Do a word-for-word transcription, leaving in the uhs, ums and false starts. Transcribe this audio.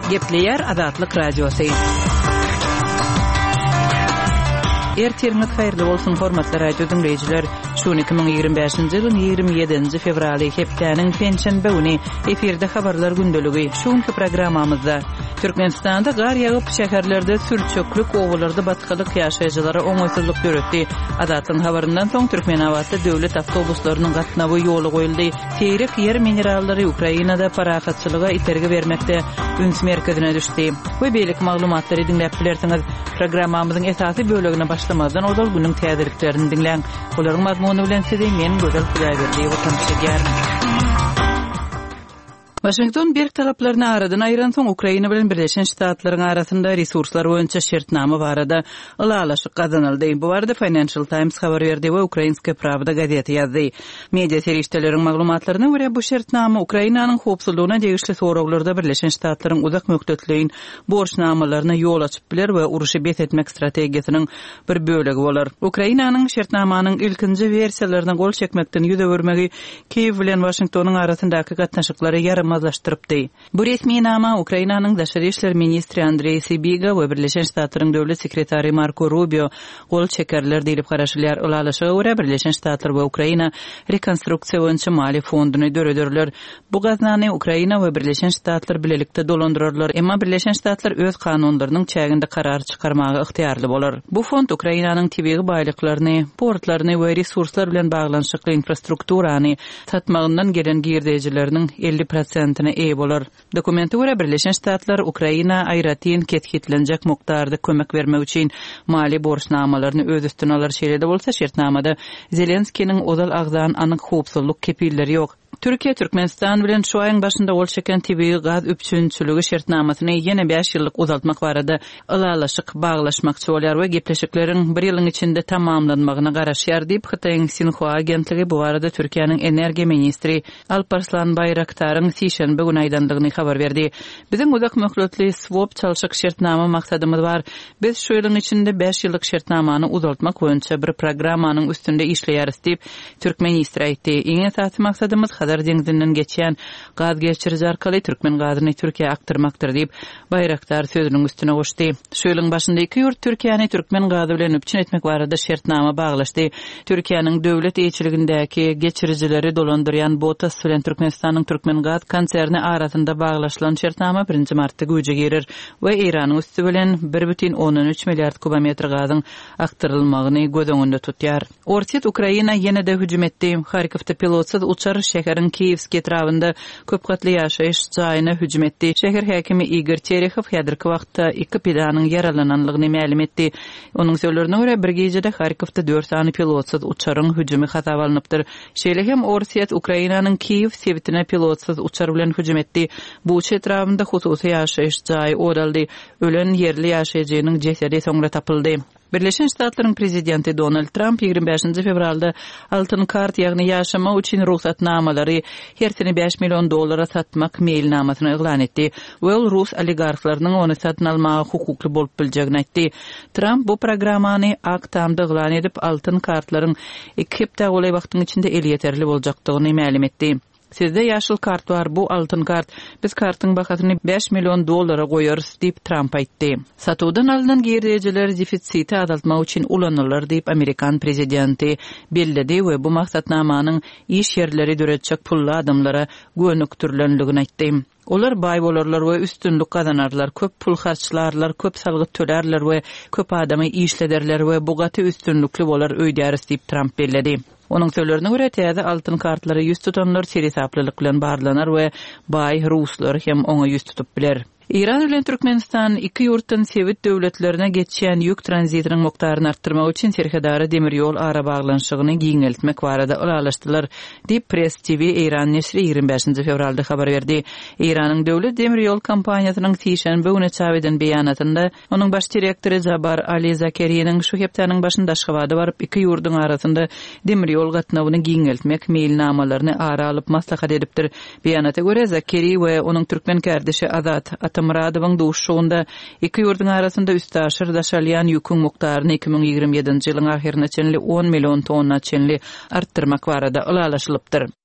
Gepleýär Azatlyk Radiosy. Ertiriňiz haýyrly bolsun, hormatly radio diňleýjiler. Şu gün iki müň ýigrimi bäşinji ýylyň ýigrimi ýedinji fewraly, hepdäniň penşenbe güni efirde habarlar gündeligi. Şu günki programmamyzda Türkmenistanda gar ýagyp, şäherlerde sürçeklik, obalarda batgalyk ýaşaýjylara oňaýsyzlyk döretdi. Azatlygyň habaryndan soň Türkmenabatda döwlet awtobuslarynyň gatnawy ýola goýuldy. Seýrek ýer minerallary Ukrainada parahatçylyga itergi bermekde üns merkezine düşdi. We beýleki maglumatlary diňläp bilersiňiz. Programmamyzyň esasy bölegine başlamazdan ozal günüň täzeliklerini diňläň. Olaryň mazmuny bilen sizi men Gözel Hudaýberdiýewa tanyş edýärin. Waşington berk talaplaryny aradan aýyransoň, Ukraina bilen Birleşen Ştatlaryň arasynda resurslar boýunça şertnama barada ylalaşyk gazanyldy. Bu barada Financial Times habar berdi we Ukrainskaya Pravda gazeti ýazdy. Media serişdeleriň maglumatlaryna görä, bu şertnama Ukrainanyň howpsuzlygyna degişli soraglarda Birleşen Ştatlaryň uzak möhletleýin borçnamalaryna ýol açyp biler we urşy bes etmek strategiýasynyň bir bölegi bolar. Ukrainanyň şertnamanyň ilkinji wersiýalaryna gol çekmekden ýüz öwürmegi Kiýew bilen Waşingtonyň arasyndaky gatnaşyklary ýaramazlaşdyrypdy. Bu resminama Ukrainanyň daşary işler ministri Andreý Sibiga we Birleşen Ştatlaryň döwlet sekretary Marko Rubio gol çekerler diýlip garaşylýar. Ylalaşyga görä, Birleşen Ştatlar we Ukraina rekonstruksiýa boýunça maliýe fonduny dörederler. Bu gaznany Ukraina we Birleşen Ştatlar bilelikde dolandyrarlar, emma Birleşen Ştatlar öz kanunlarynyň çäginde karar çykarmaga ygtyýarly bolar. Bu fond Ukrainanyň tebigy baýlyklaryny, portlaryny we resurslar bilen baglanyşykly infrastrukturany satmagyndan gelen girdejileriniň elli prosentine eýe bolar. Dokumente görä, Birleşen Ştatlar Ukraina aýratyn kesgitlenjek mukdarda kömek bermek üçin maliýe borçnamalaryny öz üstüne alar. Şeýle-de bolsa, şertnamada Zelenskiniň ozal agzan anyk howpsuzlyk kepilleri ýok. Türkiýe Türkmenistan bilen şu aýyň başynda gol çeken tebigy gaz üpjünçiligi şertnamasyny ýene bäş ýyllyk uzaltmak barada ylalaşyk baglaşmakçy bolýar we gepleşikleriň bir ýylyň içinde tamamlanmagyna garaşýar diýip, Hytaýyň Sinhua agentligi bu barada Türkiýäniň energiýa ministri Alparslan Baýraktaryň sişenbe güni aýdandygyny habar berdi. Biziň uzak möhletli swap çalşyk şertnama maksadymyz bar. Biz şu ýylyň içinde bäş ýyllyk şertnamany uzaltmak boýunça bir programmanyň üstünde işleýäris diýip, türk ministri aýtdy. Iň esasy maksadymyz Hazar deňzinden geçýän gaz geçiriji arkaly türkmen gazyny Türkiýä akdyrmakdyr diýip, Baýraktar sözüniň üstüne goşdy. Şu ýylyň başynda iki ýurt Türkiýäni türkmen gazy bilen üpjün etmek barada şertnama baglaşdy. Türkiýäniň döwlet eýeçiligindäki geçirijileri dolandyrýan BOTAS bilen Türkmenistanyň Türkmen gaz konserni arasynda baglaşylan şertnama birinji martda güýje girer we Eýranyň üsti bilen bir bütin ondan üç milliard kubometr gazyň akdyrylmagyny göz öňünde tutýar. Orsýet Ukraina ýene-de hüjüm etdi. Harkowda pilotsyz uçar şäheriň Kiýewski etrabynda köp gatly ýaşaýyş jaýyna hüjüm etdi. Şäher häkimi Igor Terehow häzirki wagtda iki pidanyň ýaralananlygyny mälim etdi. Onuň sözlerine görä, bir gijede Harkowda dört sany pilotsyz uçaryň hüjümi hasaba alnypdyr. Şeýle hem Orsýet Ukrainanyň Kiýew sebitine pilotsyz uçar bilen hüjüm etdi. Buça etrabynda hususy ýaşaýyş jaýy ot aldy. Ölen ýerli ýaşaýjynyň jesedi soňra tapyldy. Birleşen Ştatlaryň prezidenti Donald Trump ýigrimi bäşinji fewralda altyn kart, ýagny ýaşamak üçin rugsatnamalary hersini bäş million dollara satmak meýilnamasyny yglan etdi we ol rus oligarhlarynyň ony satyn almaga hukukly bolup biljegini aýtdy. Trump bu programmany Ak Tamda yglan edip, altyn kartlaryň iki hepdä golaý wagtyň içinde elýeterli boljakdygyny mälim etdi. Sizde ýaşyl kart bar, bu altyn kart. Biz kartyň bahasyny bäş million dollara goýarys, diýip Trump aýtdy. Satuwdan alnan girdejiler defisiti azaltmak üçin ulanylar, diýip amerikan prezidenti belledi we bu maksatnamanyň iş ýerleri döretjek pully adamlara gönükdirilendigini aýtdy. Olar baý bolarlar we üstünlik gazanarlar, köp pul harçlarlar, köp salgyt tölerler we köp adamy işlederler we bu gaty üstünlikli bolar öýdäris, diýip Trump belledi. Onuň sözlerine görä, täze altyn kartlara ýüz tutanlar seresaplylyk bilen barlanar we baý ruslar hem oňa ýüz tutup biler. Eýran bilen Türkmenistan iki ýurtdan sebit döwletlerine geçýän ýük tranzitiniň mukdaryny artdyrmak üçin serhedara demir ýol arabaglanyşygyny giňeltmek barada ylalaşdylar, diýip Press T V Eýran neşiri ýigrimi bäşinji fewralda habar berdi. Eýranyň döwlet demir ýol kompaniýasynyň sişenbe güni çap eden beýanatynda onuň baş direktory Jabar Ali Zakeriniň şu hepdäniň başynda Aşgabada baryp iki ýurduň arasynda demir ýol gatnawyny giňeltmek meýilnamalaryny ara alyp maslahat edipdir. Beýanata görä Zakeri we onuň türkmen kardeşi Azat Atamyradowyň duşuşygynda iki ýurduň arasynda üstaşyr daşalýan ýüküň mukdaryny iki müň ýigrimi ýedinji ýylyň ahyryna çenli on million tonna çenli artdyrmak barada ylalaşylypdyr.